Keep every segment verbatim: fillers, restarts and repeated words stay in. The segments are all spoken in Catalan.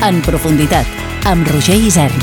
En profunditat, amb Roger Isern.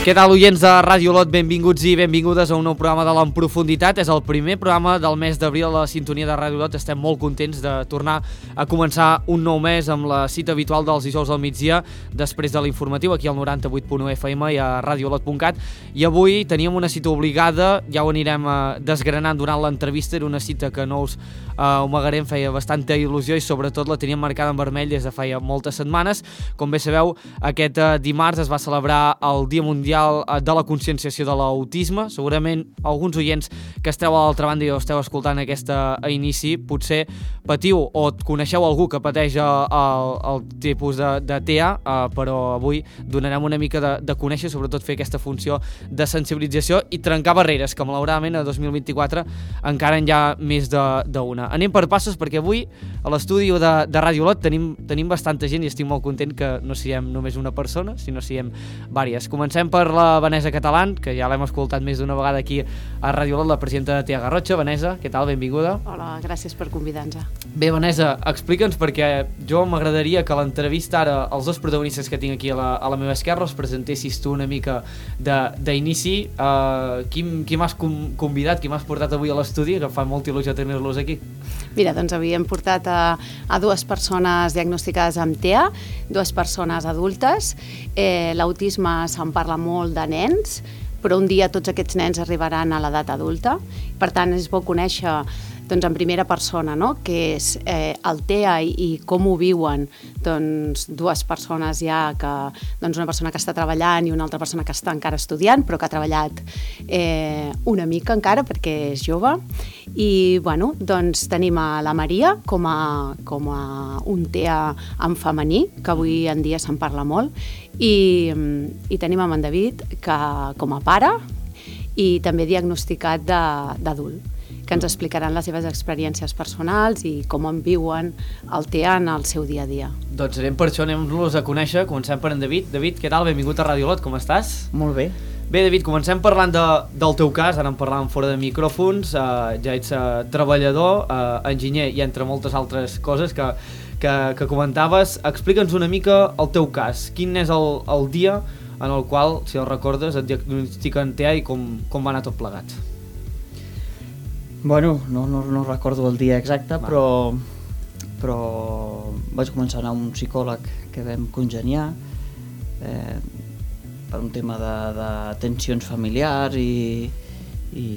Què tal, oients de Ràdio Olot? Benvinguts i benvingudes a un nou programa de l'En Profunditat. És el primer programa del mes d'abril a la sintonia de Ràdio Olot. Estem molt contents de tornar a començar un nou mes amb la cita habitual dels dijous al migdia, després de l'informatiu, aquí al noranta-vuit punt u F M i a radiolot punt cat. I avui teníem una cita obligada, ja ho anirem desgranant durant l'entrevista. Era una cita que no us uh, amagarem, feia bastanta il·lusió i sobretot la teníem marcada en vermell des de feia moltes setmanes. Com bé sabeu, aquest uh, dimarts es va celebrar el Dia Mundial de la Conscienciació de l'Autisme. Segurament alguns oients que esteu a l'altra banda i esteu escoltant aquesta a inici potser patiu o coneixeu algú que pateix el, el tipus de, de T A, uh, però avui donarem una mica de, de conèixer, sobretot fer aquesta funció de sensibilització i trencar barreres, que malauradament a dos mil vint-i-quatre encara en hi ha més d'una. Anem per passos perquè avui a l'estudi de, de Ràdio Olot tenim, tenim bastanta gent i estic molt content que no siguem només una persona, sinó siguem vàries. Comencem per la Vanessa Catalán, que ja l'hem escoltat més d'una vegada aquí a Ràdio Olot, la presidenta de T A Garrotxa. Vanessa, què tal? Benvinguda. Hola, gràcies per convidar-nos. Bé, Vanessa, explica'ns, perquè jo m'agradaria que l'entrevista ara, els dos protagonistes que tinc aquí a la, a la meva esquerra, els presentessis tu una mica d'inici. Uh, qui qui m'has convidat, qui m'has portat avui a l'estudi, que fa molta il·lusió tenir-los aquí? Mira, doncs avui hem portat a, a dues persones diagnosticades amb T A, dues persones adultes. Eh, L'autisme se'n parla molt de nens, però un dia tots aquests nens arribaran a l'edat adulta. Per tant, és bo conèixer doncs, en primera persona, no?, què és eh, el T A i, i com ho viuen doncs, dues persones ja, que, doncs, una persona que està treballant i una altra persona que està encara estudiant, però que ha treballat eh, una mica encara perquè és jove. I bueno, doncs, tenim a la Maria com a, com a un T A en femení, que avui en dia se'n parla molt, i, i tenim en David que, com a pare i també diagnosticat d'adult, que ens explicaran les seves experiències personals i com en viuen el T A en el seu dia a dia. Doncs anem per això, anem-los a conèixer. Comencem per en David. David, què tal? Benvingut a Ràdio Olot, com estàs? Molt bé. Bé, David, comencem parlant de, del teu cas, ara en parlàvem fora de micròfons. Uh, ja ets uh, treballador, uh, enginyer i entre moltes altres coses que, que, que comentaves. Explica'ns una mica el teu cas. Quin és el, el dia en el qual, si el recordes, et diagnostiquen T A i com, com va anar tot plegat? Bueno, no, no, no recordo el dia exacte, però, però vaig començar a anar a un psicòleg que vam congeniar eh, per un tema de, de tensions familiars i, i,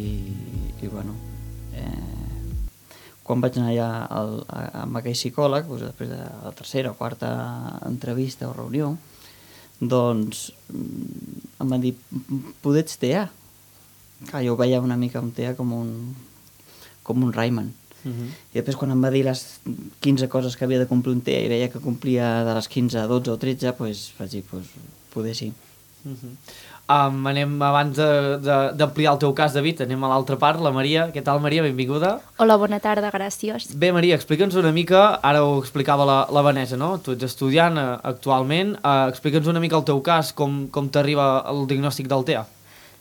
i bueno, eh, quan vaig anar allà al, a, amb aquell psicòleg, doncs després de la tercera o quarta entrevista o reunió, doncs em van dir, poder ets T A? Clar, jo veia una mica un T A com un com un Rayman. Uh-huh. I després quan em va dir les quinze coses que havia de complir un T A i veia que complia de les quinze a dotze o tretze, doncs vaig dir, doncs, poder sí. Uh-huh. um, anem, abans d'ampliar el teu cas, David, anem a l'altra part, la Maria. Què tal, Maria? Benvinguda. Hola, bona tarda, gràcies. Bé, Maria, explica'ns una mica, ara ho explicava la, la Vanessa, no? Tu ets estudiant uh, actualment, uh, explica'ns una mica el teu cas, com, com t'arriba el diagnòstic del T A.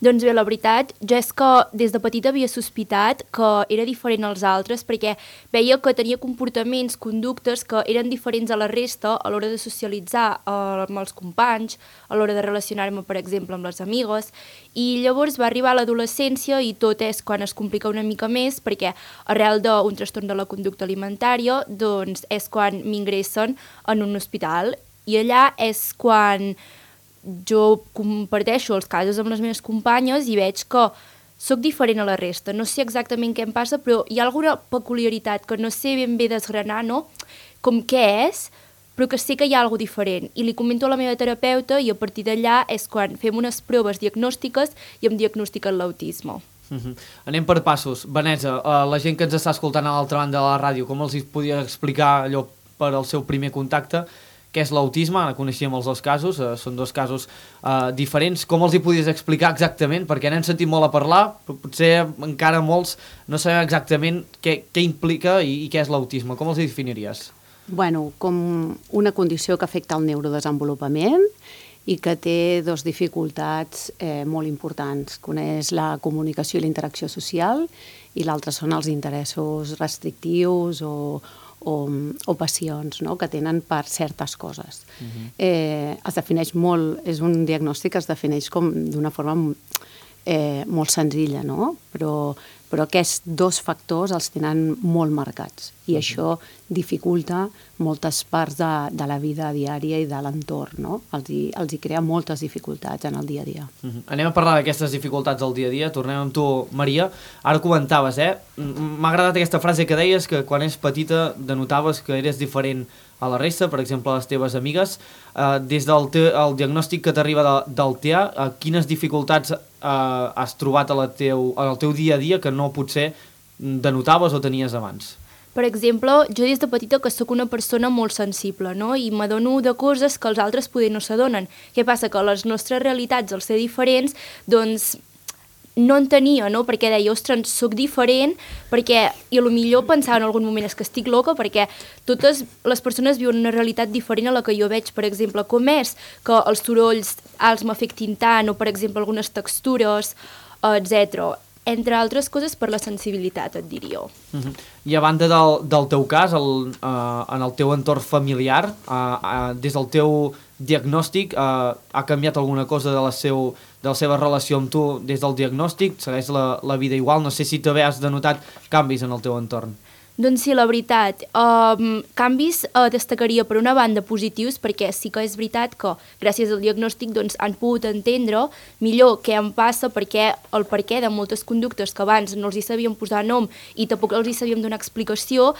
Doncs bé, la veritat, jo és que des de petita havia sospitat que era diferent als altres perquè veia que tenia comportaments, conductes que eren diferents a la resta a l'hora de socialitzar eh, amb els companys, a l'hora de relacionar-me, per exemple, amb les amigues, i llavors va arribar l'adolescència i tot és quan es complica una mica més perquè arrel d'un trastorn de la conducta alimentària doncs és quan m'ingressen en un hospital i allà és quan jo comparteixo els casos amb les meves companyes i veig que soc diferent a la resta. No sé exactament què em passa, però hi ha alguna peculiaritat que no sé ben bé desgranar, no? Com què és, però que sé que hi ha alguna diferent. I li comento a la meva terapeuta i a partir d'allà és quan fem unes proves diagnòstiques i em diagnostiquen l'autisme. Uh-huh. Anem per passos. Vanessa, uh, la gent que ens està escoltant a l'altra banda de la ràdio, com els podia explicar allò per al seu primer contacte? Què és l'autisme? Ara coneixíem els dos casos, eh, són dos casos eh, diferents. Com els hi podies explicar exactament? Perquè n'hem sentit molt a parlar, però potser encara molts no sabem exactament què, què implica i, i què és l'autisme. Com els hi definiries? Bueno, com una condició que afecta el neurodesenvolupament, i que té dos dificultats eh, molt importants. Una és la comunicació i la interacció social i l'altra són els interessos restrictius o, o, o passions, no?, que tenen per certes coses. Uh-huh. eh, es defineix molt, és un diagnòstic que es defineix com d'una forma eh, molt senzilla, no?, però, però aquests dos factors els tenen molt marcats i uh-huh. això dificulta moltes parts de, de la vida diària i de l'entorn, no? Els hi, els hi crea moltes dificultats en el dia a dia. Uh-huh. Anem a parlar d'aquestes dificultats del dia a dia. Tornem amb tu, Maria. Ara comentaves, eh? M'ha agradat aquesta frase que deies, que quan és petita denotaves que eres diferent a la resta, per exemple, a les teves amigues. Uh, des del te, el diagnòstic que t'arriba de, del T E A, uh, quines dificultats uh, has trobat a la teu, al teu dia a dia que no potser denotaves o tenies abans? Per exemple, jo des de petita que sóc una persona molt sensible, no?, i m'adono de coses que els altres poder no s'adonen. Què passa? Que les nostres realitats, al ser diferents, doncs no en tenia, no?, perquè deia, ostres, sóc diferent, perquè, i a lo millor pensava en algun moment, és que estic loca, perquè totes les persones viuen una realitat diferent a la que jo veig, per exemple, com és que els sorolls alts m'afectin tant, o per exemple algunes textures, etcètera. Entre altres coses per la sensibilitat, et diria. Uh-huh. I a banda del, del teu cas, el, uh, en el teu entorn familiar, uh, uh, des del teu diagnòstic, uh, ha canviat alguna cosa de la, seu, de la seva relació amb tu des del diagnòstic? Segueix la, la vida igual? No sé si també has denotat canvis en el teu entorn. Doncs sí, la veritat. Um, canvis uh, destacaria per una banda positius, perquè sí que és veritat que gràcies al diagnòstic doncs, han pogut entendre millor què em passa, perquè el perquè de moltes conductes que abans no els hi sabíem posar nom i tampoc els hi sabíem donar explicació,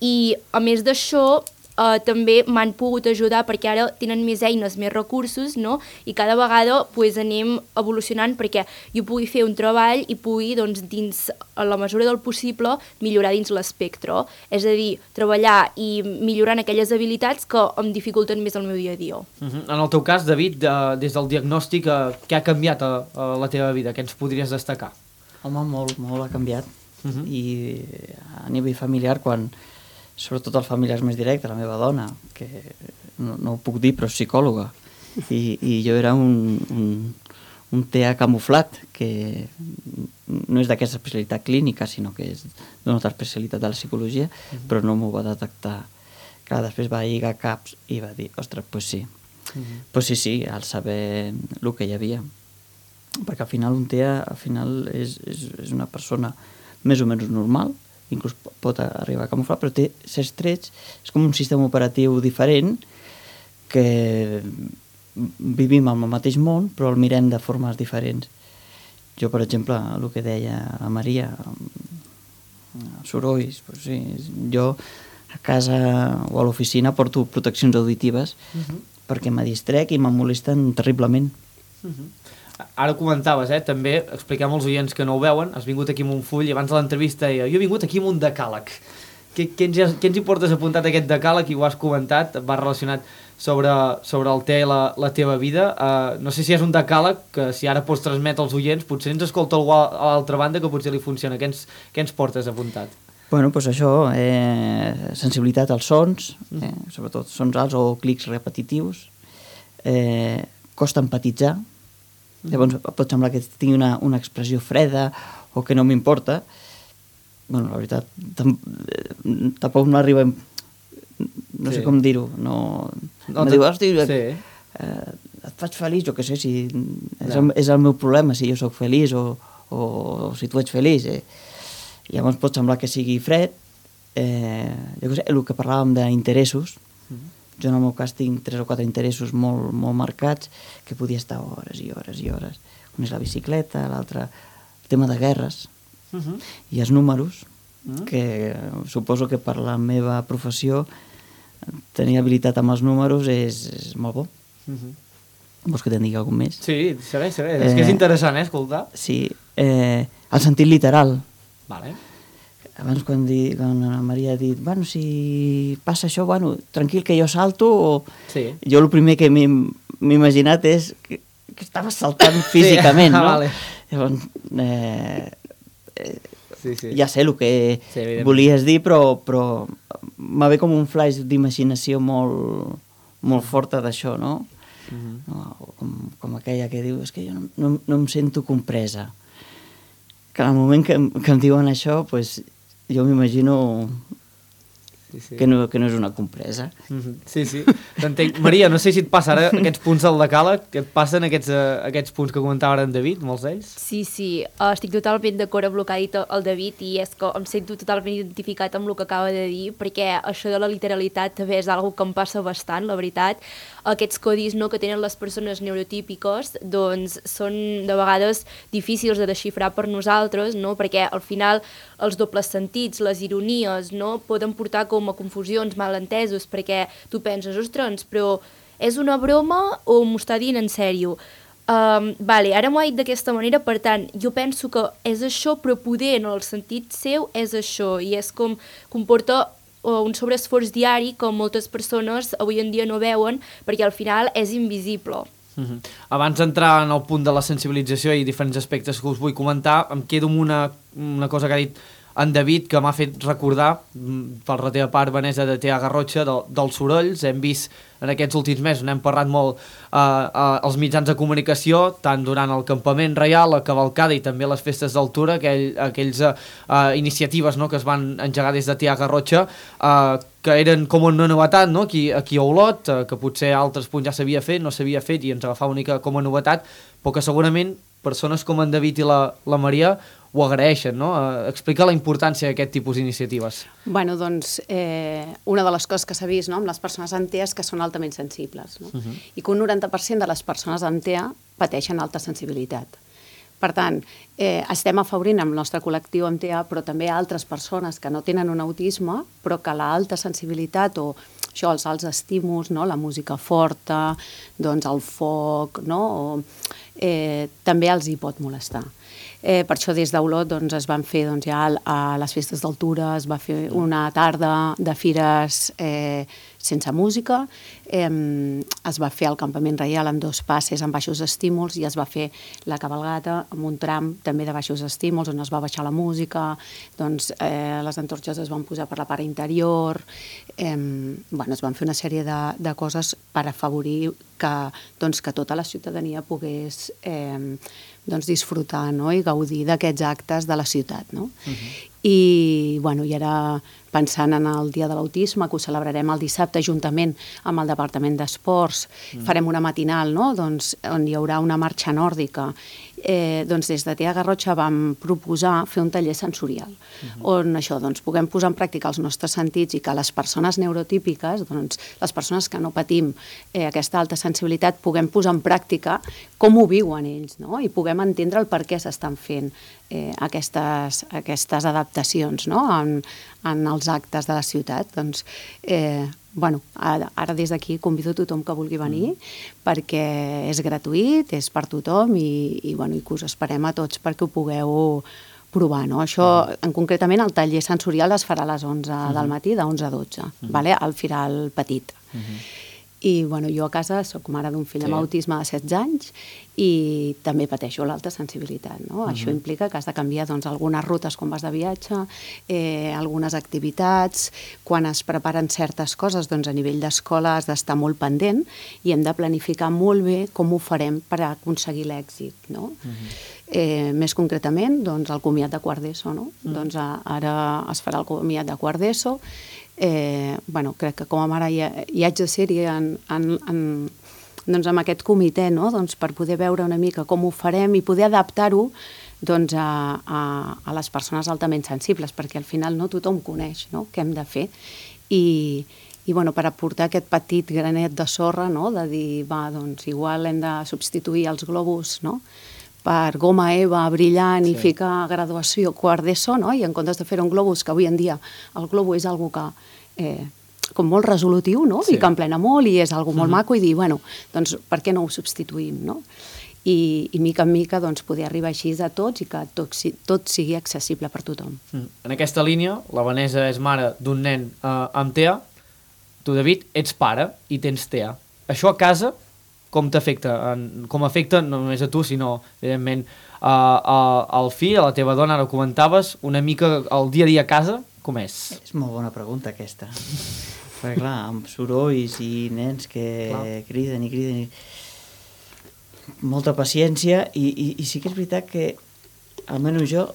i a més d'això Uh, també m'han pogut ajudar perquè ara tenen més eines, més recursos, no?, i cada vegada pues, anem evolucionant perquè jo pugui fer un treball i pugui, doncs, dins a la mesura del possible, millorar dins l'espectre. És a dir, treballar i millorar en aquelles habilitats que em dificulten més el meu dia a dia. Uh-huh. En el teu cas, David, de, des del diagnòstic, uh, què ha canviat a, a la teva vida? Què ens podries destacar? Home, molt, molt ha canviat. Uh-huh. I a nivell familiar, quan sobretot els familiars més directes, la meva dona, que no, no ho puc dir, però és psicòloga, i, i jo era un, un, un T E A camuflat, que no és d'aquesta especialitat clínica, sinó que és d'una altra especialitat de la psicologia, uh-huh. però no m'ho va detectar. Clar, després va lligar caps i va dir, ostres, doncs sí. Uh-huh. Pues sí, sí, al saber el que hi havia. Perquè al final un T E A al final és, és, és una persona més o menys normal, inclús pot arribar a camuflar, però té certs trets, és com un sistema operatiu diferent, que vivim al mateix món, però el mirem de formes diferents. Jo, per exemple, el que deia la Maria, sorolls, doncs sí, jo a casa o a l'oficina porto proteccions auditives uh-huh. perquè me distrec i me molesten terriblement. Uh-huh. Ara comentaves, eh, també, expliquem als oients que no ho veuen, has vingut aquí amb un full i abans de l'entrevista deia, jo he vingut aquí amb un decàleg. Què, què, ens, què ens hi portes apuntat aquest decàleg? I ho has comentat, va relacionat sobre, sobre el T E A i la, la teva vida. Uh, no sé si és un decàleg que si ara pots transmetre als oients, potser ens escolta algú a l'altra banda que potser li funciona. Què ens, què ens portes apuntat? Bueno, doncs això, eh, sensibilitat als sons, eh, sobretot sons alts o clics repetitius, eh, costa empatitzar. Llavors pot semblar que tingui una, una expressió freda o que no m'importa. Bueno, la veritat, tam, tampoc no arriba... No sí. sé com dir-ho. No, no me diu, hosti, sí. eh, et faig feliç, o què sé, si és, no. el, és el meu problema, si jo sóc feliç o, o, o si tu ets feliç. Eh. Llavors pot semblar que sigui fred. Eh, jo què sé, el que parlàvem d'interessos, mm-hmm. Jo en el meu cas tinc tres o quatre interessos molt, molt marcats que podia estar hores i hores i hores. Un és la bicicleta, l'altre el tema de guerres uh-huh. i els números, uh-huh. que suposo que per la meva professió tenir habilitat amb els números és, és molt bo. Uh-huh. Vols que te'n digui alguna més? Sí, segueix, segueix. Eh, és que és interessant, eh, escoltar. Sí, eh, el sentit literal. Vale. Abans quan, di, quan la Maria ha dit bueno, si passa això, bueno, tranquil que jo salto o... Sí. Jo el primer que m'he imaginat és que, que estava saltant físicament, sí. no? Vale. Llavors, eh, eh, sí, sí. ja sé el que sí, volies dir, però, però m'ha ve com un flash d'imaginació molt, molt forta d'això, no? Mm-hmm. no? com, com aquella que diu, és que jo no, no, no em sento compresa. Que en el moment que, que em diuen això, pues, jo m'imagino sí, sí. Que, no, que no és una compresa. Mm-hmm. Sí, sí, t'entenc. Maria, no sé si et passa ara aquests punts del decàleg, que et passen aquests, uh, aquests punts que comentava ara en David, molts d'ells? Sí, sí, uh, estic totalment d'acord amb el que ha dit el David i és que em sento totalment identificat amb el que acaba de dir, perquè això de la literalitat també és una que em passa bastant, la veritat. Aquests codis, no, que tenen les persones neurotípiques doncs són de vegades difícils de desxifrar per nosaltres, no? Perquè al final els dobles sentits, les ironies, no, poden portar com a confusions, malentesos, perquè tu penses, ostres, però és una broma o m'ho està dient en sèrio? Um, vale, ara m'ho ha dit d'aquesta manera, per tant, jo penso que és això, però poder en el sentit seu és això, i és com comporta un sobreesforç diari que moltes persones avui en dia no veuen perquè al final és invisible. Mm-hmm. Abans d'entrar en el punt de la sensibilització i diferents aspectes que us vull comentar, em quedo amb una, una cosa que ha dit en David, que m'ha fet recordar, per la teva part, Vanessa, de T A Garrotxa, de, dels sorolls. Hem vist en aquests últims mesos, n'hem parlat molt eh, eh, els mitjans de comunicació, tant durant el campament reial, la cavalcada i també les festes d'altura, aquell, aquells eh, eh, iniciatives, no?, que es van engegar des de T A Garrotxa, eh, que eren com una novetat, no?, aquí, aquí a Olot, eh, que potser a altres punts ja s'havia fet, no s'havia fet i ens agafava una mica com a novetat, però que segurament persones com en David i la, la Maria ho agraeixen, no? Eh, explica la importància d'aquest tipus d'iniciatives. Bueno, doncs, eh, una de les coses que s'ha vist, no?, amb les persones amb T E A és que són altament sensibles, no? Uh-huh. I que un noranta per cent de les persones amb T E A pateixen alta sensibilitat. Per tant, eh, estem afavorint amb el nostre col·lectiu amb T E A, però també altres persones que no tenen un autisme, però que l'alta sensibilitat o això, els alts estímuls, no?, la música forta, doncs el foc, no?, o, eh, també els hi pot molestar. Eh, per això des d'Olot doncs, es van fer doncs, ja a les festes d'altura, es va fer una tarda de fires eh, sense música, eh, es va fer el campament reial amb dos passes amb baixos estímuls i es va fer la cabalgata amb un tram també de baixos estímuls on es va baixar la música, doncs eh, les antorxes es van posar per la part interior, eh, bueno, es van fer una sèrie de, de coses per afavorir que, doncs, que tota la ciutadania pogués eh, doncs, disfrutar, no?, i gaudir d'aquests actes de la ciutat, no? Uh-huh. I, bueno, i ara pensant en el Dia de l'Autisme, que ho celebrarem el dissabte juntament amb el Departament d'Esports, uh-huh. farem una matinal, no?, doncs, on hi haurà una marxa nòrdica. Eh, doncs des de T A Garrotxa vam proposar fer un taller sensorial, uh-huh. on això, doncs, puguem posar en pràctica els nostres sentits i que les persones neurotípiques, doncs, les persones que no patim eh, aquesta alta sensibilitat, puguem posar en pràctica com ho viuen ells, no?, i puguem entendre el per què s'estan fent eh, aquestes, aquestes adaptacions, no?, en, en els actes de la ciutat. Doncs, eh, bueno, ara, ara des d'aquí convido tothom que vulgui venir mm. perquè és gratuït, és per tothom i, i, bueno, i que us esperem a tots perquè ho pugueu provar, no? Això, mm. en concretament, el taller sensorial es farà a les onze mm. del matí, de onze a dotze, mm. vale? Al Firal Petit. Mm-hmm. I, bueno, jo a casa soc mare d'un fill sí. amb autisme de setze anys i també pateixo l'alta sensibilitat, no? Uh-huh. Això implica que has de canviar, doncs, algunes rutes quan vas de viatge, eh, algunes activitats, quan es preparen certes coses, doncs a nivell d'escola has d'estar molt pendent i hem de planificar molt bé com ho farem per aconseguir l'èxit, no? Uh-huh. Eh, més concretament, doncs, el comiat de quart d'ESO, no? Uh-huh. Doncs a, ara es farà el comiat de quart d'ESO. Eh, bueno, crec que com a mare hi, ha, hi haig de ser-hi en, en, en, doncs amb aquest comitè, no?, doncs per poder veure una mica com ho farem i poder adaptar-ho doncs a, a, a les persones altament sensibles, perquè al final no tothom coneix, no?, què hem de fer. I, i bueno, per aportar aquest petit granet de sorra, no?, de dir, va, doncs igual hem de substituir els globus, no?, per goma eva brillant sí. i ficar graduació quart d'ESO, no?, i en comptes de fer un globus, que avui en dia el globus és algo que eh, com molt resolutiu, no?, sí. i que emplena molt i és algo molt uh-huh. maco, i dir, bueno, doncs per què no ho substituïm, no? I, i mica en mica doncs, poder arribar així a tots i que tot, tot sigui accessible per tothom. Mm. En aquesta línia, la Vanessa és mare d'un nen eh, amb T E A, tu, David, ets pare i tens T E A. Això a casa com t'afecta? Com afecta no només a tu, sinó, evidentment, a, a, al fill, a la teva dona, ara ho comentaves, una mica el dia a dia a casa, com és? És molt bona pregunta, aquesta. Perquè clar, amb sorolls i nens que clar. criden i criden i... molta paciència i, i, i sí que és veritat que almenys jo,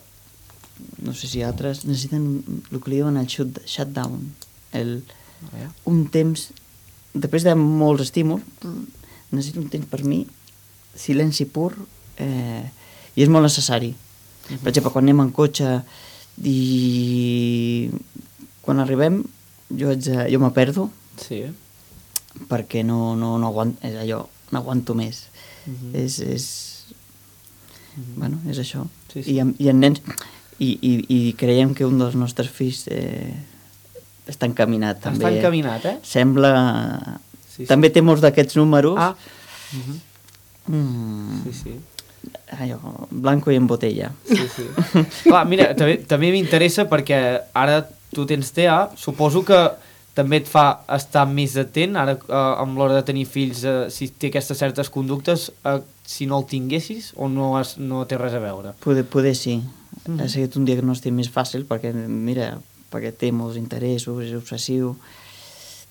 no sé si altres necessiten el que li diuen el shut, shutdown, el, un temps, després de molts estímuls, necessito un temps per mi, silenci pur, eh, i és molt necessari. Uh-huh. Per exemple, quan anem en cotxe i quan arribem jo, haig de, jo me perdo sí. perquè no, no, no aguanto, és allò, no aguanto més. Uh-huh. És, és, uh-huh. bueno, és això. Sí, sí. I, en, i en nens, i, i, i creiem que un dels nostres fills eh, està encaminat. Està també, encaminat, eh? Sembla... Sí, sí. També té molts d'aquests números. Ah. Uh-huh. Mm. Sí, sí. Allò, blanco i en botella. Sí, sí. Clar, mira, també, també m'interessa perquè ara tu tens T A, suposo que també et fa estar més atent, ara eh, amb l'hora de tenir fills, eh, si té aquestes certes conductes, eh, si no el tinguessis o no, has, no té res a veure? Poder, poder sí. Mm. Ha sigut un diagnòstic més fàcil perquè, mira, perquè té molts interessos, és obsessiu.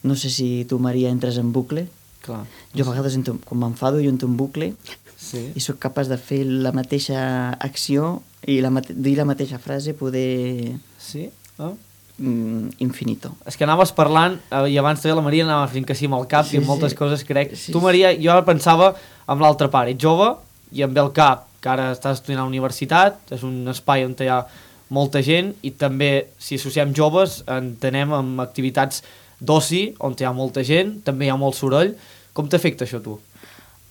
No sé si tu, Maria, entres en bucle. Clar. Jo a vegades, entro, quan m'enfado, jo entro en bucle sí. i sóc capaç de fer la mateixa acció i la mate dir la mateixa frase, poder... Sí? Ah. Mm, infinito. És que anaves parlant, eh, i abans també la Maria anava fent que sí amb el cap sí, i amb moltes sí. coses, crec. Sí, tu, Maria, jo ara pensava amb l'altra part, ets jove i amb el cap, que ara estàs estudiant a la universitat, és un espai on hi ha molta gent i també, si associem joves, entenem amb activitats d'oci, on hi ha molta gent, també hi ha molt soroll. Com t'afecta això, tu?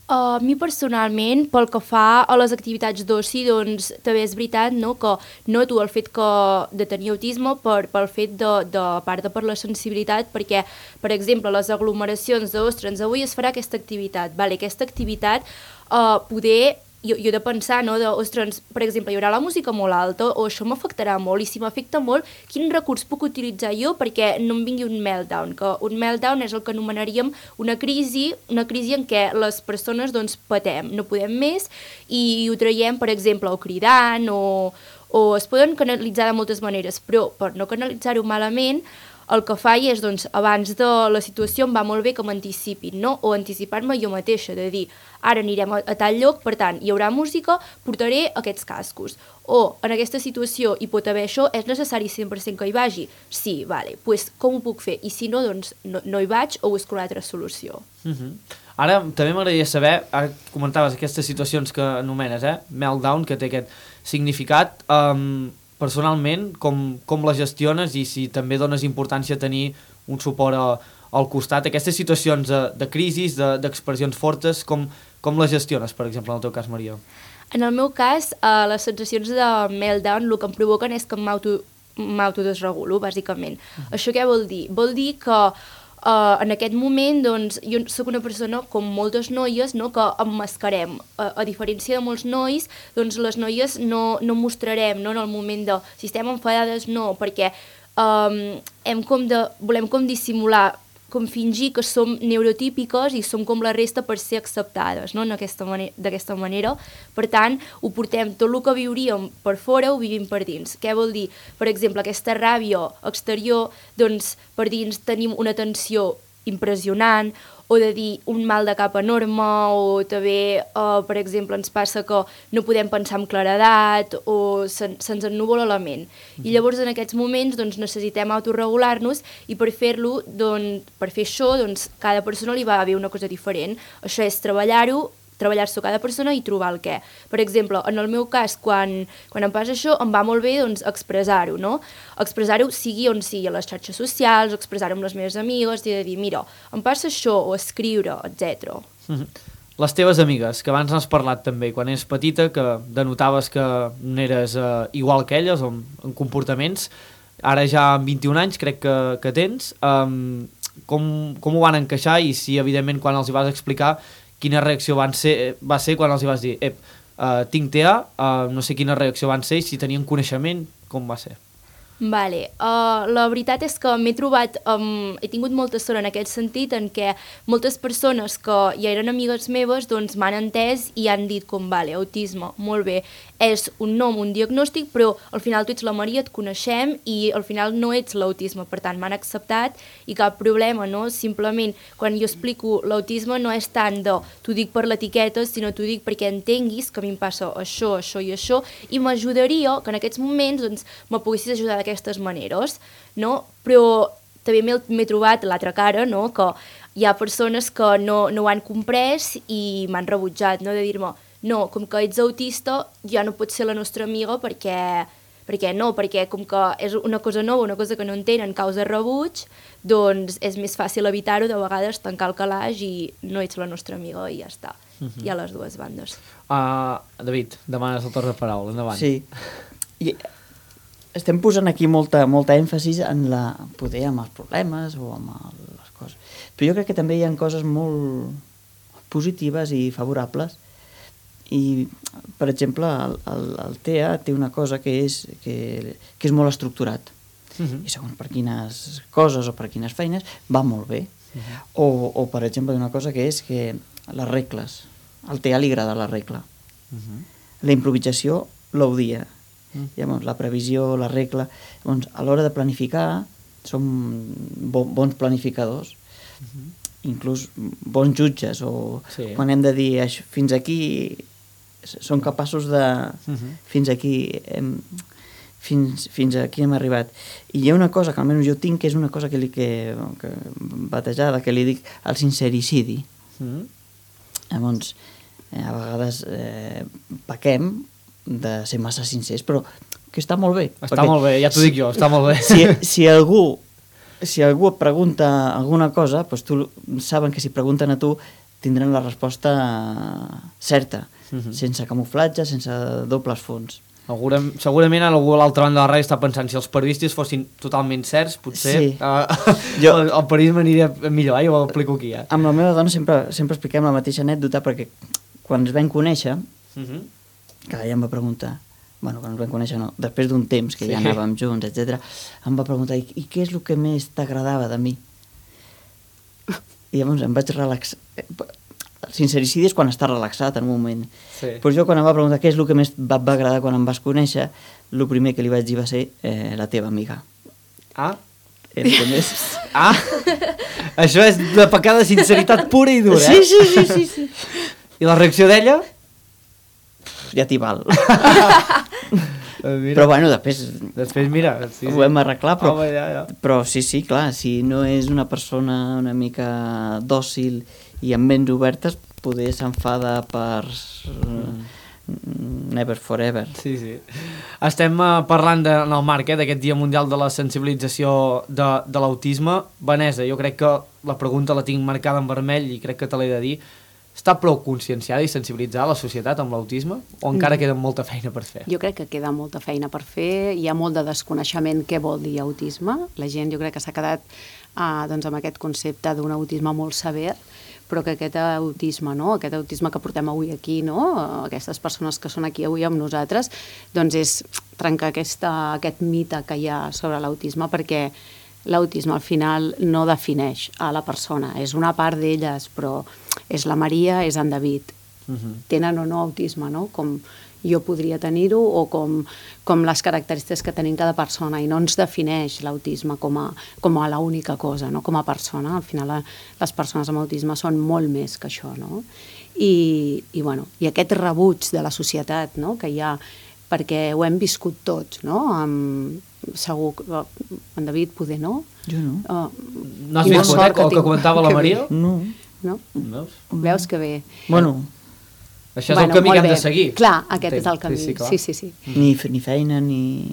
Uh, a mi personalment, pel que fa a les activitats d'oci, doncs també és veritat, no?, que noto el fet que, de tenir autisme per, pel fet de, de part de per la sensibilitat, perquè, per exemple, les aglomeracions d'ostres, avui es farà aquesta activitat, vale, aquesta activitat uh, poder... Jo, jo he de pensar, no, de, ostres, per exemple, hi haurà la música molt alta o això m'afectarà molt i si m'afecta molt, quin recurs puc utilitzar jo perquè no em vingui un meltdown, que un meltdown és el que anomenaríem una crisi, una crisi en què les persones doncs patem, no podem més i ho traiem, per exemple, o cridant o, o es poden canalitzar de moltes maneres, però per no canalitzar-ho malament, el que faig és, doncs, abans de la situació em va molt bé que m'anticipin, no? O anticipar-me jo mateixa, de dir, ara anirem a, a tal lloc, per tant, hi haurà música, portaré aquests cascos. O, en aquesta situació hi pot haver això, és necessari cent per cent que hi vagi? Sí, vale, doncs pues, com ho puc fer? I si no, doncs, no, no hi vaig o busco una altra solució. Uh-huh. Ara, també m'agradaria saber, ara comentaves aquestes situacions que anomenes, eh? Meltdown, que té aquest significat, um, personalment, com, com les gestiones i si també dones importància a tenir un suport a, al costat. Aquestes situacions de, de crisis, de, d'expressions fortes, com, com les gestiones, per exemple, en el teu cas, Maria? En el meu cas, eh, les sensacions de meltdown el que em provoquen és que m'auto, m'autodesregulo, bàsicament. Uh-huh. Això què vol dir? Vol dir que Uh, en aquest moment, doncs, jo sóc una persona com moltes noies, no?, que emmascarem. Uh, a diferència de molts nois, doncs les noies no, no mostrarem, no?, en el moment de... Si estem enfadades, no, perquè um, hem com de, volem com dissimular, com fingir que som neurotípiques i som com la resta per ser acceptades, no?, d'aquesta manera, d'aquesta manera. Per tant, ho portem, tot el que viuríem per fora ho vivim per dins. Què vol dir? Per exemple, aquesta ràbia exterior, doncs per dins tenim una tensió impressionant, o de dir un mal de cap enorme, o també, uh, per exemple, ens passa que no podem pensar amb claredat, o se, se'ns ennuvola la ment. I llavors en aquests moments doncs, necessitem autorregular-nos i per fer-lo, doncs, per fer això, doncs, cada persona li va haver una cosa diferent. Això és treballar-ho, treballar-s'ho cada persona i trobar el què. Per exemple, en el meu cas, quan, quan em passa això, em va molt bé doncs, expressar-ho, no? Expressar-ho sigui on sigui, a les xarxes socials, expressar-ho amb les meves amigues, i de dir, mira, em passa això, o escriure, etcètera. Mm-hmm. Les teves amigues, que abans n'has parlat també, quan eres petita, que denotaves que no eres eh, igual que elles, en, en comportaments, ara ja amb vint-i-un anys crec que, que tens, um, com, com ho van encaixar i si, evidentment, quan els hi vas explicar, quina reacció van ser, va ser quan els hi vas dir ep, uh, tinc T A, uh, no sé quina reacció van ser i si tenien coneixement, com va ser? Vale, uh, la veritat és que m'he trobat, um, he tingut molta sort en aquest sentit en què moltes persones que ja eren amigues meves doncs m'han entès i han dit com, vale, autisme, molt bé, és un nom, un diagnòstic, però al final tu ets la Maria, et coneixem i al final no ets l'autisme, per tant m'han acceptat i cap problema, no? Simplement quan jo explico l'autisme no és tant de t'ho dic per l'etiqueta, sinó t'ho dic perquè entenguis que a mi em passa això, això i això i m'ajudaria que en aquests moments doncs, me poguessis ajudar d'aquestes maneres, no? Però també m'he trobat l'altra cara, no? Que hi ha persones que no, no ho han comprès i m'han rebutjat, no? De dir-me, no, com que ets autista ja no pots ser la nostra amiga perquè, perquè no, perquè com que és una cosa nova, una cosa que no entenen, causa rebuig, doncs és més fàcil evitar-ho, de vegades tancar el calaix i no ets la nostra amiga i ja està. Uh-huh. Hi ha les dues bandes. Uh, David, demanes el torn de paraula, endavant. Sí, i estem posant aquí molta, molta èmfasis en la, poder amb els problemes o amb el, les coses, però jo crec que també hi ha coses molt positives i favorables. I, per exemple, el, el, el T E A té una cosa que és, que, que és molt estructurat. Uh-huh. I segons per quines coses o per quines feines va molt bé. Uh-huh. O, o, per exemple, una cosa que és que les regles. Al T E A li agrada la regla. Uh-huh. La improvisació l'odia. Uh-huh. Llavors, la previsió, la regla... Llavors, a l'hora de planificar, som bo, bons planificadors. Uh-huh. Inclús bons jutges. O sí. Quan hem de dir això, fins aquí... són capaços de... Uh-huh. Fins aquí hem, fins, fins aquí hem arribat. I hi ha una cosa que almenys jo tinc, que és una cosa que li que, que batejada, que li dic el sincericidi. Uh-huh. Llavors, eh, a vegades eh, pequem de ser massa sincers, però que està molt bé. Està molt bé, ja t'ho dic jo, està molt bé. Si, si algú si algú et pregunta alguna cosa, doncs tu saben que si pregunten a tu tindran la resposta certa. Uh-huh. Sense camuflatge, sense dobles fons. Segurament, segurament algú a l'altra banda de la ràdio està pensant si els periodistes fossin totalment certs, potser sí. uh, jo, el, el periodisme aniria millor, eh? Jo ho aplico aquí. Eh? Amb la meva dona sempre, sempre expliquem la mateixa anècdota perquè quan ens vam conèixer, uh-huh. que ella em va preguntar, bueno, quan ens vam conèixer no, després d'un temps que sí. ja anàvem junts, etcètera, em va preguntar, i, i què és el que més t'agradava de mi? I llavors em vaig relaxar. El sincericidi és quan estàs relaxat en un moment. Sí. Però jo quan em va preguntar què és el que més va, va agradar quan em vas conèixer, el primer que li vaig dir va ser eh, la teva amiga. Ah? El que més... Ah? Això és de pecat de sinceritat pura i dura, eh? Sí, sí, sí, sí, sí. I la reacció d'ella? Ja t'hi val. Però bueno, després... Després mira... Sí, ho hem arreglat, però, oh, ja, ja. però sí, sí, clar, si no és una persona una mica dòcil i amb ments obertes, poder s'enfada per uh, never forever. Sí, sí. Estem uh, parlant de, en el marc eh, d'aquest Dia Mundial de la Sensibilització de, de l'Autisme. Vanessa, jo crec que la pregunta la tinc marcada en vermell i crec que te l'he de dir. Està prou conscienciada i sensibilitzada la societat amb l'autisme o encara queda molta feina per fer? Jo crec que queda molta feina per fer. Hi ha molt de desconeixement què vol dir autisme. La gent jo crec que s'ha quedat uh, doncs, amb aquest concepte d'un autisme molt sever, però que aquest autisme, no? Aquest autisme que portem avui aquí, no? Aquestes persones que són aquí avui amb nosaltres, doncs és trencar aquesta, aquest mite que hi ha sobre l'autisme, perquè l'autisme al final no defineix a la persona, és una part d'elles, però és la Maria, és en David. Uh-huh. Tenen o no autisme, no? Com jo podria tenir-ho o com, com les característiques que tenim cada persona, i no ens defineix l'autisme com a, com a l'única cosa, no? Com a persona. Al final les persones amb autisme són molt més que això, no? I, i, bueno, i aquest rebuig de la societat, no? Que hi ha, perquè ho hem viscut tots, no? Amb, segur que en David poder no. Jo no. Uh, no has vist el que, que comentava la Maria? No. No? Veus? Veus que bé. Bueno, això és bueno, el camí que hem bé. de seguir. Clar, aquest Entenc. És el camí. Sí, sí, sí, sí, sí. Ni, ni feina, ni...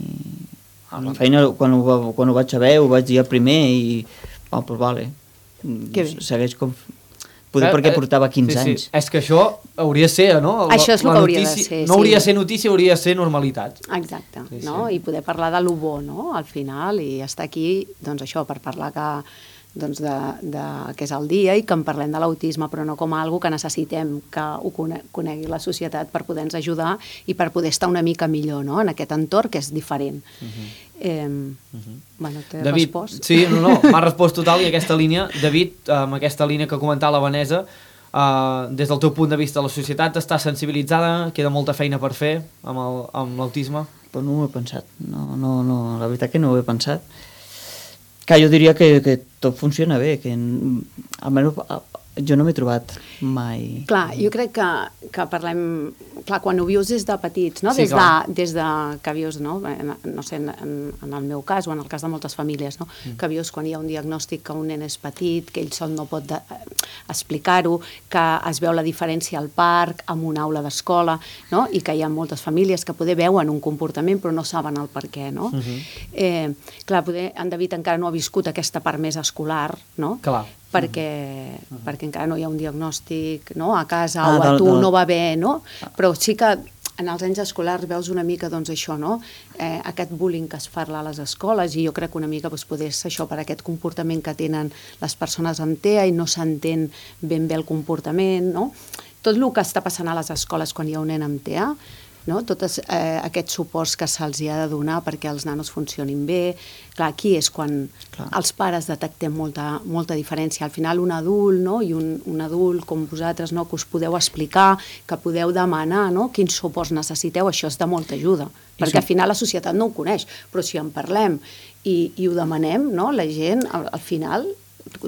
A la feina, quan ho, quan ho vaig saber, ho vaig dir el primer i... Oh, doncs vale. Que bé. Segueix com... Poder eh, perquè portava quinze sí, sí. anys. És que això hauria de ser, no? La, això és el que hauria notícia, de ser, no hauria de sí. ser notícia, hauria de ser normalitat. Exacte, sí, no? Sí. I poder parlar de lo bo, no? Al final, i estar aquí, doncs això, per parlar que doncs de, de, que és el dia i que en parlem de l'autisme, però no com a algo que necessitem que ho conegui la societat per poder-nos ajudar i per poder estar una mica millor, no?, en aquest entorn que és diferent. Uh-huh. eh, uh-huh. Bueno, t'he David, respost? Sí, no, no, m'ha respost total i aquesta línia, David, amb aquesta línia que comentava la Vanessa, Uh, des del teu punt de vista, la societat està sensibilitzada, queda molta feina per fer amb l'autisme? Però no ho he pensat, no, no, no, la veritat que no ho he pensat. Que jo diria que, que tot funciona bé, que almenys jo no m'he trobat mai... Clar, jo crec que, que parlem... Clar, quan ho vius des de petits, no? Sí, des, de, des de que vius, no? No sé, en, en el meu cas o en el cas de moltes famílies, no? Mm. Que vius quan hi ha un diagnòstic que un nen és petit, que ell sol no pot de, explicar-ho, que es veu la diferència al parc, en una aula d'escola, no? I que hi ha moltes famílies que poder veuen un comportament però no saben el per què, no? Mm-hmm. eh, clar, poder, en David encara no ha viscut aquesta part més escolar, no? Clar. Perquè, uh-huh. perquè encara no hi ha un diagnòstic, no?, a casa ah, o a del, tu del... no va bé, no? Però sí que en els anys escolars veus una mica, doncs, això, no?, eh, aquest bullying que es parla a les escoles, i jo crec que una mica doncs, poder ser això per aquest comportament que tenen les persones amb T E A i no s'entén ben bé el comportament, no? Tot el que està passant a les escoles quan hi ha un nen amb T E A, no? Tots eh, aquests suports que se'ls ha de donar perquè els nanos funcionin bé. Clar, aquí és quan Clar. els pares detectem molta, molta diferència. Al final un adult, no? I un, un adult com vosaltres, no? Que us podeu explicar, que podeu demanar, no? Quins suports necessiteu, això és de molta ajuda. I perquè al final la societat no ho coneix, però si en parlem i, i ho demanem, no? La gent al, al final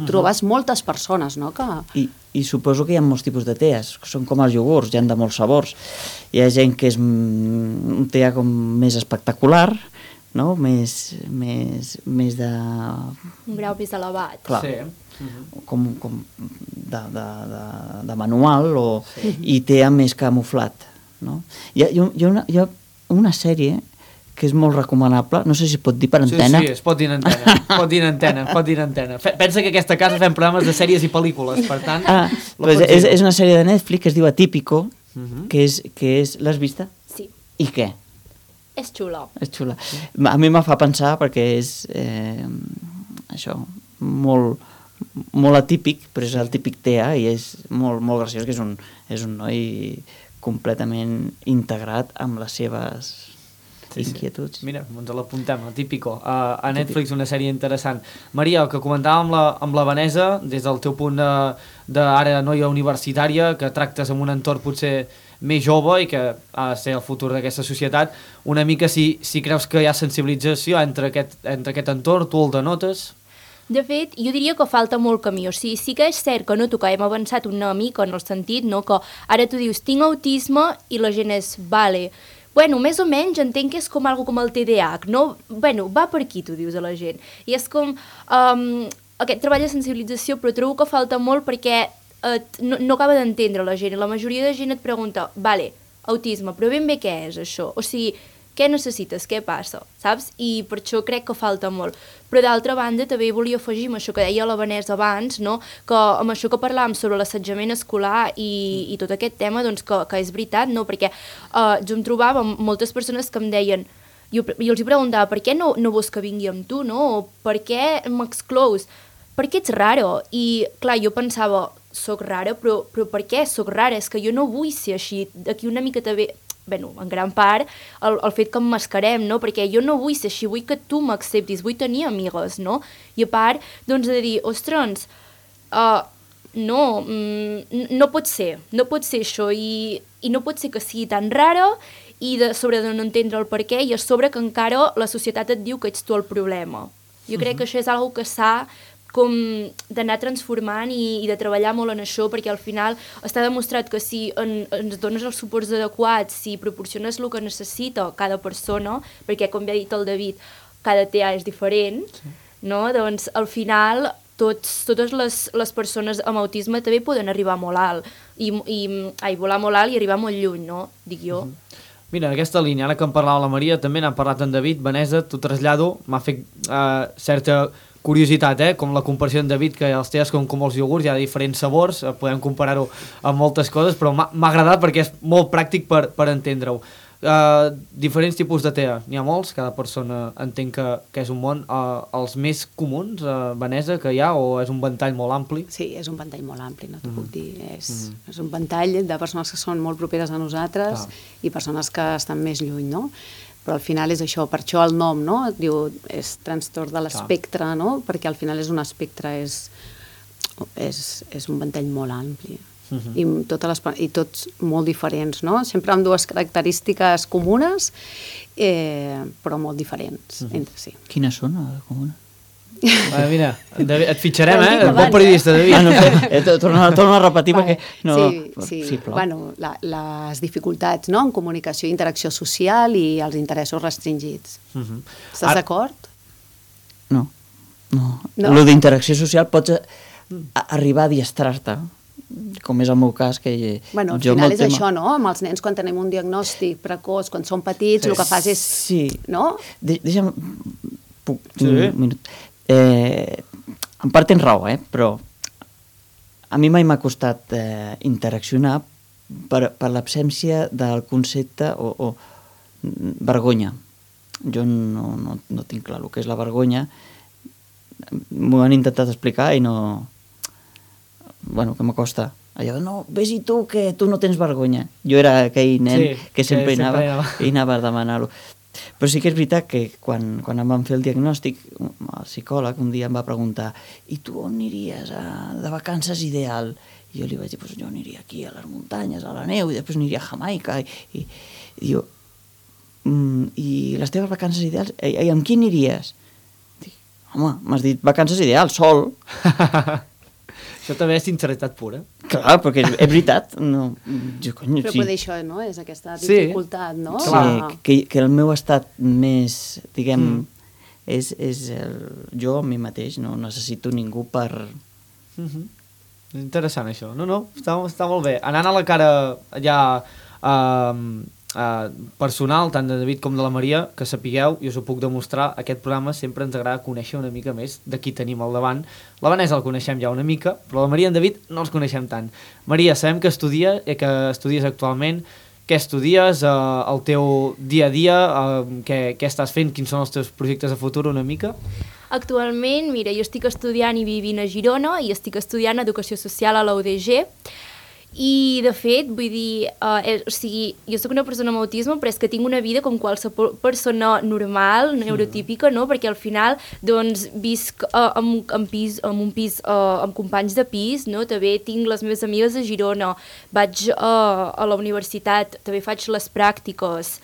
trobes uh-huh. moltes persones, no? Que... I, I suposo que hi ha molts tipus de T E As, que són com els iogurts, hi ha de molts sabors. Hi ha gent que és un T E A com més espectacular, no? Més, més, més de... Un grau més elevat. Clar, sí. Uh-huh. com, com de, de, de, de manual, o, sí. I T E A més camuflat, no? Hi ha, hi ha, una, hi ha una sèrie que és molt recomanable, no sé si es pot dir per antena. Sí, sí, es pot dir en antena, pot dir en antena, pot dir en antena. Pensa que aquesta casa fem programes de sèries i pel·lícules, per tant... Ah, pues és, és una sèrie de Netflix que es diu Atípico, uh-huh. que és... Que és l'has vista? Sí. I què? És xula. És xula. A mi me fa pensar perquè és eh, això, molt, molt atípic, però és el típic T E A i és molt, molt graciós, que és un, és un noi completament integrat amb les seves... Sí, inquietuds. Sí. Mira, ens l'apuntem, el típico. Uh, a Netflix una sèrie interessant. Maria, el que comentàvem amb la, amb la Vanessa, des del teu punt de, de ara noia universitària, que tractes amb un entorn potser més jove i que ha de ser el futur d'aquesta societat, una mica si, si creus que hi ha sensibilització entre aquest, entre aquest entorn, tu el denotes? De fet, jo diria que falta molt camí. O sigui, sí que és cert que noto que hem avançat una mica en el sentit, no? Que ara tu dius, tinc autisme, i la gent és, vale, bueno, més o menys entenc que és com algo com el T D A H, no? Bueno, va per aquí, tu dius a la gent. I és com um, aquest treball de sensibilització, però trobo que falta molt perquè eh, no, no acaba d'entendre la gent. I la majoria de gent et pregunta, vale, autisme, però ben bé què és això? O sigui, què necessites, què passa, saps? I per això crec que falta molt. Però d'altra banda també volia afegir amb això que deia la Vanessa abans, no? Que amb això que parlàvem sobre l'assetjament escolar i, i tot aquest tema, doncs que, que és veritat, no? Perquè uh, jo em trobava amb moltes persones que em deien, jo, jo els hi preguntava, per què no, no vols que vingui amb tu, no? O per què m'exclous? Per què ets raro? I clar, jo pensava, soc rara, però, però per què soc rara? És que jo no vull ser així, d'aquí una mica també... Bueno, en gran part, el, el fet que emmascarem, no? Perquè jo no vull ser així, vull que tu m'acceptis, vull tenir amigues, no? I a part, doncs, de dir, ostres, uh, no, mm, no pot ser, no pot ser això, i, i no pot ser que sigui tan rara, i de sobre de no entendre el per què, i a sobre que encara la societat et diu que ets tu el problema. Jo crec uh-huh. que això és una cosa que s'ha com d'anar transformant i, i de treballar molt en això, perquè al final està demostrat que si en, ens dones els suports adequats, si proporciones el que necessita cada persona, perquè com ja ha dit el David, cada T E A és diferent, sí. no? Doncs al final tots, totes les, les persones amb autisme també poden arribar molt alt, i, i ai, volar molt alt i arribar molt lluny, no? Dic jo. Uh-huh. Mira, en aquesta línia, ara que en parlava la Maria, també n'han parlat en David, Vanessa, t'ho trasllado, m'ha fet uh, certa curiositat, eh? Com la comparació en David, que els T E As com, com els iogurts, hi ha diferents sabors, eh, podem comparar-ho amb moltes coses, però m'ha agradat perquè és molt pràctic per, per entendre-ho. Uh, diferents tipus de T E A, n'hi ha molts, cada persona entenc que, que és un món. Uh, els més comuns, uh, Vanessa, que hi ha, o és un ventall molt ampli? Sí, és un ventall molt ampli, no t'ho Mm. puc dir. És, Mm. és un ventall de persones que són molt properes a nosaltres Clar. i persones que estan més lluny, no? Però al final és això, per això el nom, no? Et diu, és trastorn de l'espectre, no? Perquè al final és un espectre, és, és, és un ventall molt ampli. Mhm. I, totes les, i tots molt diferents, no? Sempre amb dues característiques comunes, eh, però molt diferents Mhm. entre si. Quines són, les comunes? Va, mira, David, et fitxarem, Ho hem eh? dit Bon abans, periodista, David. Ah, no sé, eh, to- torna, torna a repetir perquè... No, sí, sí. sí però... Bueno, la, les dificultats, no?, en comunicació i interacció social i els interessos restringits. Mhm. Estàs Ara- d'acord? No, no. No? Lo d'interacció social pots a, a, arribar a diestrar-te, com és el meu cas, que Bueno, al jo final amb és el tema... això, no? Amb els nens, quan tenim un diagnòstic precoç, quan són petits, Sí. el que fas és... Sí. No? De, deixa'm... Puc, Sí. un minut. Eh, en part tens raó, eh? Però a mi mai m'ha costat eh, interaccionar per, per l'absència del concepte o, o mm, vergonya. Jo no, no, no tinc clar el que és la vergonya. M'ho han intentat explicar i no... Bueno, que m'acosta. Allò, no, vés-hi tu, que tu no tens vergonya. Jo era aquell nen Sí, que que sempre, sempre anava, anava. i anava a demanar-lo. Però sí que és veritat que quan, quan em van fer el diagnòstic, el psicòleg un dia em va preguntar i tu on aniries a, de vacances ideal? I jo li vaig dir, pues jo aniria aquí a les muntanyes, a la neu, i després aniria a Jamaica. I, i, i diu, mm, i les teves vacances ideals, i, i amb qui aniries? Dic, home, m'has dit vacances ideals, sol. Això també és sinceritat pura. Clar, perquè és, és veritat. No, jo, cony, Però sí. poder això, no? És aquesta Sí. dificultat, no? Sí, De- que, que el meu estat més, diguem, Mm. és, és el, jo a mi mateix, no necessito ningú per... Mhm. És interessant això. No, no, està, està molt bé. Anant a la cara ja uh, uh, personal, tant de David com de la Maria, que sapigueu, i us ho puc demostrar, aquest programa sempre ens agrada conèixer una mica més de qui tenim al davant. La Vanessa el coneixem ja una mica, però la Maria i en David no els coneixem tant. Maria, sabem que estudia, eh, que estudies actualment. Què estudies, eh, el teu dia a dia, eh, què, què estàs fent, quins són els teus projectes de futur una mica? Actualment, mira, jo estic estudiant i vivint a Girona i estic estudiant Educació Social a la U D G i, de fet, vull dir, uh, eh, o sigui, jo sóc una persona amb autisme, però és que tinc una vida com qualsevol persona normal, neurotípica, no? Perquè al final, doncs, visc uh, en, en, pis, en un pis uh, amb companys de pis, no? També tinc les meves amigues a Girona, vaig uh, a la universitat, també faig les pràctiques,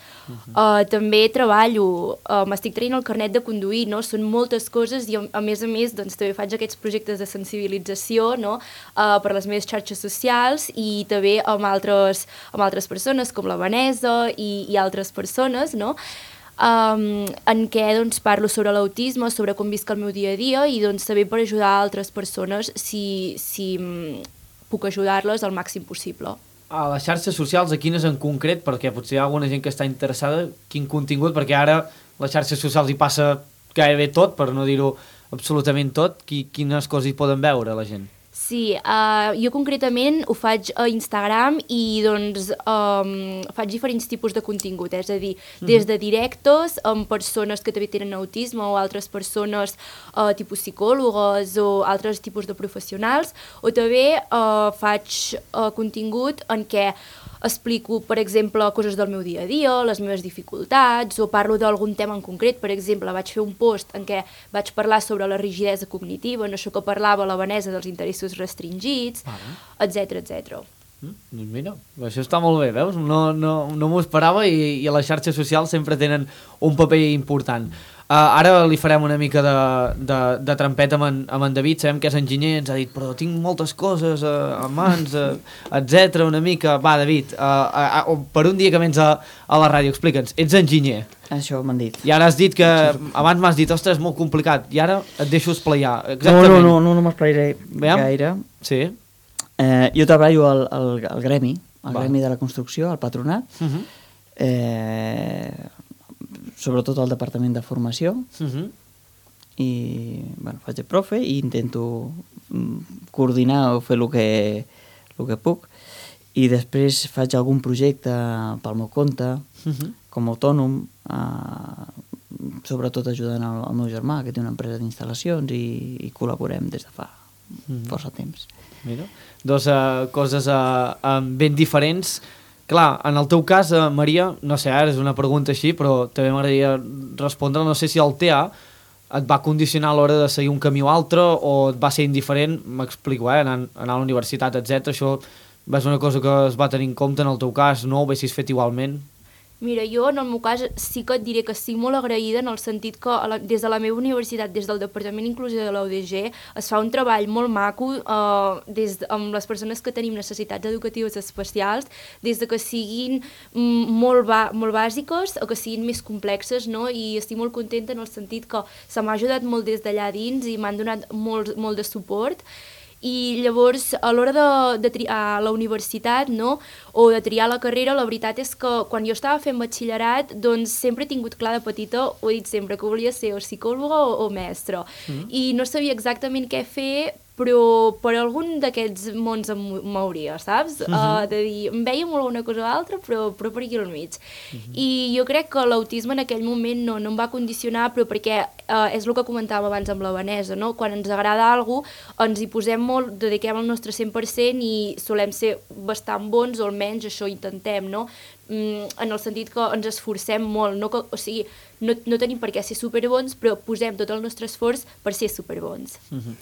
uh, també treballo, uh, m'estic traient el carnet de conduir, no? Són moltes coses i, a, a més a més, doncs, també faig aquests projectes de sensibilització, no? Uh, per les meves xarxes socials i també amb altres, amb altres persones com la Vanessa i, i altres persones, no? Um, en què doncs, parlo sobre l'autisme, sobre com visc el meu dia a dia i doncs, també per ajudar altres persones si, si um, puc ajudar-les al màxim possible. A les xarxes socials, a quines en concret, perquè potser hi ha alguna gent que està interessada, quin contingut, perquè ara les xarxes socials hi passa gairebé tot, per no dir-ho absolutament tot, Qui, quines coses hi poden veure la gent? Sí, uh, jo concretament ho faig a Instagram i doncs um, faig diferents tipus de contingut, és a dir, des de directes amb persones que també tenen autisme o altres persones uh, tipus psicòlogues o altres tipus de professionals, o també uh, faig uh, contingut en què explico, per exemple, coses del meu dia a dia, les meves dificultats, o parlo d'algun tema en concret. Per exemple, vaig fer un post en què vaig parlar sobre la rigidesa cognitiva, en això que parlava la Vanessa dels interessos restringits, etcètera, etcètera. Mm, doncs mira, això està molt bé, veus? No, no, no m'ho esperava i, i les xarxes socials sempre tenen un paper important. Uh, ara li farem una mica de, de, de trampeta amb en, amb en David, sabem que és enginyer, ens ha dit, però tinc moltes coses uh, a mans, uh, etcètera, una mica. Va, David, uh, uh, uh, per un dia que vens a, a la ràdio, explica'ns, ets enginyer. Això m'han dit. I ara has dit que, abans m'has dit, ostres, és molt complicat, i ara et deixo esplaiar. No, Exactament. no, no, no, no m'esplairé gaire. Sí. Eh, jo treballo al, al, al gremi, al Va. gremi de la construcció, al patronat, Uh -huh. eh, sobretot al departament de formació, Uh -huh. i bueno, faig de profe i intento mm, coordinar o fer el que, el que puc. i després faig algun projecte pel meu compte, uh-huh. com a autònom, eh, sobretot ajudant el, el meu germà, que té una empresa d'instal·lacions, i, i col·laborem des de fa uh-huh. força temps. Mira, dos uh, coses uh, uh, ben diferents. Clar, en el teu cas, uh, Maria, no sé, ara és una pregunta així, però també m'agradaria respondre, no sé si el T A et va condicionar a l'hora de seguir un camí o altre, o et va ser indiferent, m'explico, eh, anar, anar a la universitat, etcètera. Això va ser una cosa que es va tenir en compte en el teu cas, no ho haguessis fet igualment? Mira, jo en el meu cas sí que et diré que estic molt agraïda en el sentit que la, des de la meva universitat, des del Departament d'Inclusió de la U D G, es fa un treball molt maco eh, des, amb les persones que tenim necessitats educatives especials, des de que siguin molt, ba, molt bàsiques o que siguin més complexes, no? I estic molt contenta en el sentit que se m'ha ajudat molt des d'allà dins i m'han donat molt, molt de suport. I llavors, a l'hora de, de triar la universitat, no?, o de triar la carrera, la veritat és que quan jo estava fent batxillerat, doncs sempre he tingut clar de petita, ho he dit sempre, que volia ser o psicòloga o, o mestra. Mm. I no sabia exactament què fer, però per algun d'aquests mons em mouria, saps? Uh-huh. uh, de dir, em veia molt una cosa o altra, però, però per aquí al mig. Uh-huh. I jo crec que l'autisme en aquell moment no, no em va condicionar, però perquè uh, és el que comentàvem abans amb la Vanessa, no? Quan ens agrada alguna cosa, ens hi posem molt, dediquem el nostre cent per cent i solem ser bastant bons, o almenys això intentem, no? Mm, en el sentit que ens esforcem molt, no? Que, o sigui, no, no tenim per què ser superbons, però posem tot el nostre esforç per ser superbons. Uh-huh.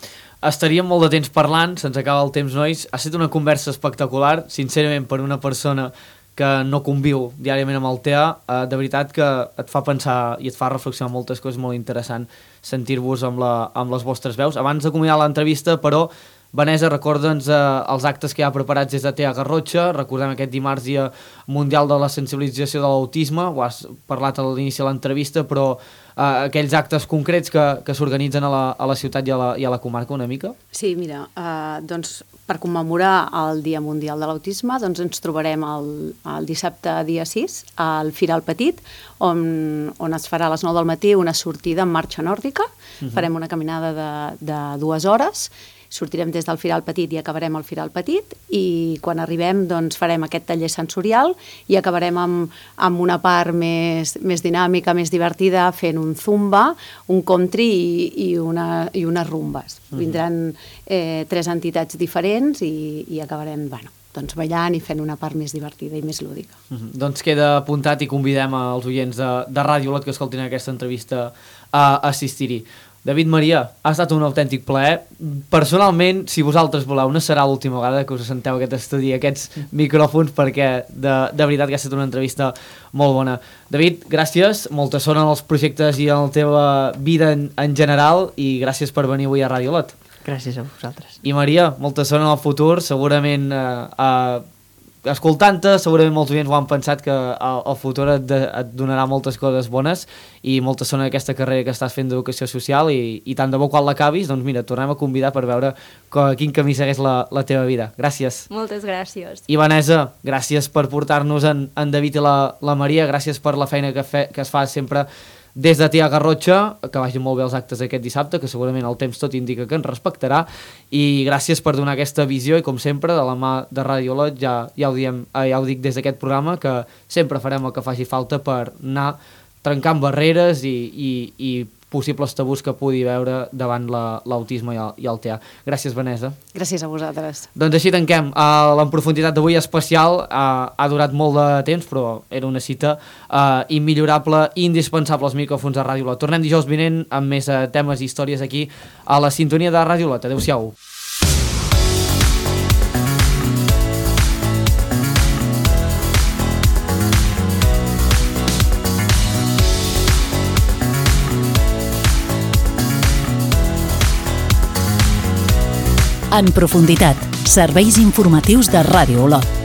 Estaríem molt de temps parlant, se'ns acaba el temps, nois. Ha estat una conversa espectacular, sincerament, per una persona que no conviu diàriament amb el T A, eh, de veritat que et fa pensar i et fa reflexionar moltes coses, molt interessant sentir-vos amb, la, amb les vostres veus. Abans d'acomiadar l'entrevista, però, Vanessa, recorda'ns eh, els actes que hi ha preparats des de T A Garrotxa. Recordem aquest dimarts, Dia Mundial de la Sensibilització de l'Autisme. Ho has parlat a l'inici de l'entrevista, però eh, aquells actes concrets que, que s'organitzen a, la, a la ciutat i a la, i a la comarca una mica? Sí, mira, eh, doncs per commemorar el Dia Mundial de l'Autisme, doncs ens trobarem el, el dissabte dia sis al Firal Petit, on, on es farà a les nou del matí una sortida en marxa nòrdica. Uh-huh. Farem una caminada de, de dues hores. Sortirem des del Firal Petit i acabarem al Firal Petit, i quan arribem doncs farem aquest taller sensorial i acabarem amb, amb una part més, més dinàmica, més divertida, fent un zumba, un country i, i, una, i unes rumbes. Uh-huh. Vindran eh, tres entitats diferents i, i acabarem, bueno, doncs ballant i fent una part més divertida i més lúdica. Uh-huh. Doncs queda apuntat i convidem als oients de, de Ràdio Olot que escoltin aquesta entrevista a assistir-hi. David, Maria, ha estat un autèntic plaer. Personalment, si vosaltres voleu, no serà l'última vegada que us assenteu a aquest estudi, a aquests micròfons, perquè de, de veritat que ha estat una entrevista molt bona. David, gràcies, molta sort en els projectes i en la teva vida en, en general, i gràcies per venir avui a Ràdio Olot. Gràcies a vosaltres. I Maria, molta sort en el futur, segurament eh, eh, escoltant-te, segurament molts oients ho han pensat que el, el futur et, de, et donarà moltes coses bones i molta sort en aquesta carrera que estàs fent d'educació social, i, i tant de bo quan l'acabis, doncs mira, tornem a convidar per veure que, quin camí segueix la, la teva vida. Gràcies. Moltes gràcies. I Vanessa, gràcies per portar-nos en, en David i la, la Maria, gràcies per la feina que, fe, que es fa sempre des de T A Garrotxa, que vagin molt bé els actes aquest dissabte, que segurament el temps tot indica que ens respectarà, i gràcies per donar aquesta visió, i com sempre, de la mà de Ràdio Olot, ja, ja, ho diem, ja ho dic des d'aquest programa, que sempre farem el que faci falta per anar trencant barreres i, i, i possibles tabús que pugui veure davant l'autisme la, i, i el T A. Gràcies, Vanessa. Gràcies a vosaltres. Doncs així tanquem. Uh, la profunditat d'avui especial, uh, ha durat molt de temps, però era una cita uh, immillorable i indispensable als micròfons de Ràdio Olot. Tornem dijous vinent amb més uh, temes i històries aquí a la sintonia de Ràdio Olot. Adéu-siau. En profunditat, serveis informatius de Ràdio Olot.